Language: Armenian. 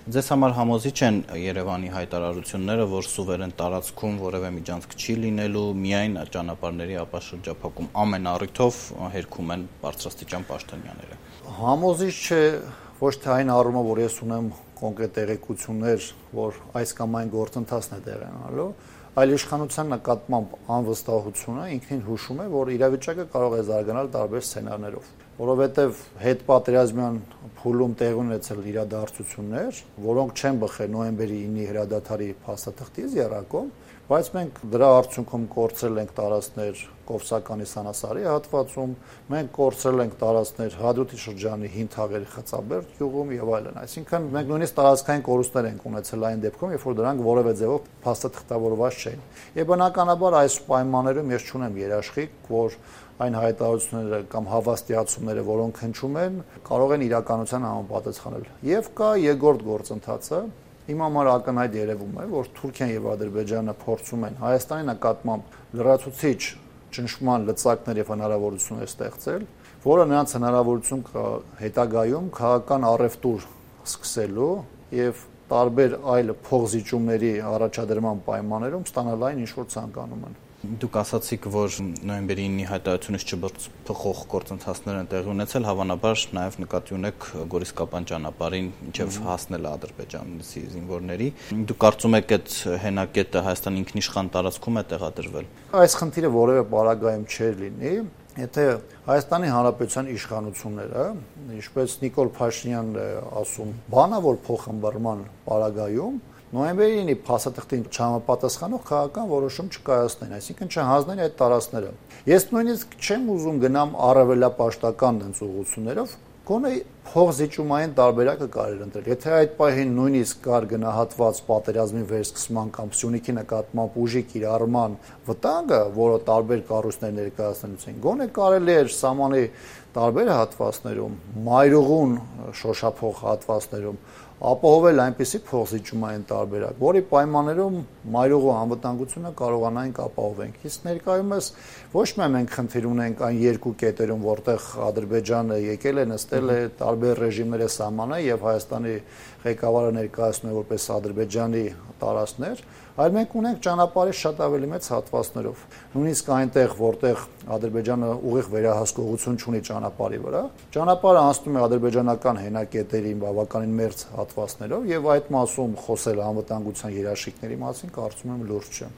Ձեզ համար համոզիչ են Երևանի հայտարարությունները, որ սուվերեն տարածքում որևէ միջանցք չի լինելու, միայն ճանապարհների ապաշրջափակում ամեն առիթով հերքում են բարձրաստիճան պաշտոնյաները։ Համոզիչ չէ ոչ թե այն առումով, որ ես ունեմ կոնկրետ տեղեկություններ, որ այս կամ այն գործընթացն է տեղի ունենալու, այլ իշխանության նկատմամբ անվստահությունը ինքնին հուշում է, որ իրավիճակը կարող է զարգանալ տարբեր սցենարներով, որովհետև հետպատերազմյան փուլում տեղի ունեցել իրադարձություններ, որոնք չեն բխել նոյեմբերի 9-ի հրադադարի փաստաթղթից եռակողմ, բայց մենք դրա արդյունքում կորցրել ենք տարածքներ Կովսականի Սանասարի հատվածում, մենք կորցրել ենք տարածքներ Հադրութի շրջանի Հին Թաղերի Խծաբերդ գյուղում եւ այլն։ Այսինքն մենք նույնիսկ տարածքային կորուստներ ենք ունեցել այն դեպքում, երբ որ դրանք որևէ ձևով փաստաթղթավորված չէին։ Եվ բնականաբար այս պայմաններում ես չունեմ երաշխիք, որ այն հայտարարությունները կամ հավաստիացումները, որոնք հնչում են, կարող են իրականության համապատասխանել։ Եվ կա երկրորդ գործընթացը, իմ համար ակնհայտ երևում է, որ Թուրքիան եւ Ադրբեջանը փորձում են Հայաստանի նկատմամբ լրացուցիչ ճնշման լծակներ եւ հնարավորություններ ստեղծել, որը նրանց հնարավորություն կա հետագայում քաղաքական առևտուր սկսելու եւ տարբեր այլ փոխզիջումների առաջադրման պայմաններում ստանալ այն ինչ որ ցանկանում են։ Դուք ասացիք, որ նոյեմբերի 9-ի հայտարարությունից չբխող գործընթացներ են տեղի ունեցել, հավանաբար նաև նկատի ունեք Գորիսկապան ճանապարհին մինչև հասնել Ադրբեջանցի զինվորների։ Դուք կարծում եք այդ հենակետը Հայաստանի ինքնիշխան տարածքում է տեղադրվել։ Այս խնդիրը որևէ պարագայում չէր լինի, եթե Հայաստանի Հանրապետության իշխանությունները, ինչպես Նիկոլ Փաշինյանն է ասում, բանավոր փոխհմբռնման պարագայում նոյեմբերի 9-ի փաստաթղթին չհամապատասխանող քաղաքական որոշում չկայացնեն, այսինքն չհանձնեն այդ տարածքները։ Ես նույնիսկ չեմ ուզում գնամ առավելապաշտական դենսուղություններով, գոնե փոխզիջումային տարբերակը կարելի ընտրել։ Եթե այդ պահին նույնիսկ կար գնահատված պատերազմի վերսկսման կամ Սյունիքի նկատմամբ ուժի կիրառման վտանգը, որը տարբեր կառույցներ ներկայացնելուց են, գոնե կարելի էր սահմանի տարբեր հատվածներում, մայրուղուն շոշափող հատվածներում ապահովել այնպիսի փոխզիջումային տարբերակ, որի պայմաններում մայրուղու անվտանգությունը կարողանանք ապահովենք։ Իսկ ներկայումս ոչ միայն մենք խնդիր ունենք այն երկու կետերում, որտեղ Ադրբեջանը եկել է, նստել է, տարբեր ռեժիմները սահմանել եւ Հայաստանի ղեկավարը ներկայացնում է որպես Ադրբեջանի տարածքներ, այլ մենք ունենք ճանապարհի շատ ավելի մեծ հատվածներով։ Նույնիսկ այնտեղ, որտեղ Ադրբեջանը ուղիղ վերահսկողություն ունի ճանապարհի վրա, ճանապարհը անցնում է ադրբեջանական հենակետերի բավականին մերձ հատվածներով եւ այդ մասում խոսել անվտանգության երաշխիքների մասին կարծում եմ լուրջ չէ։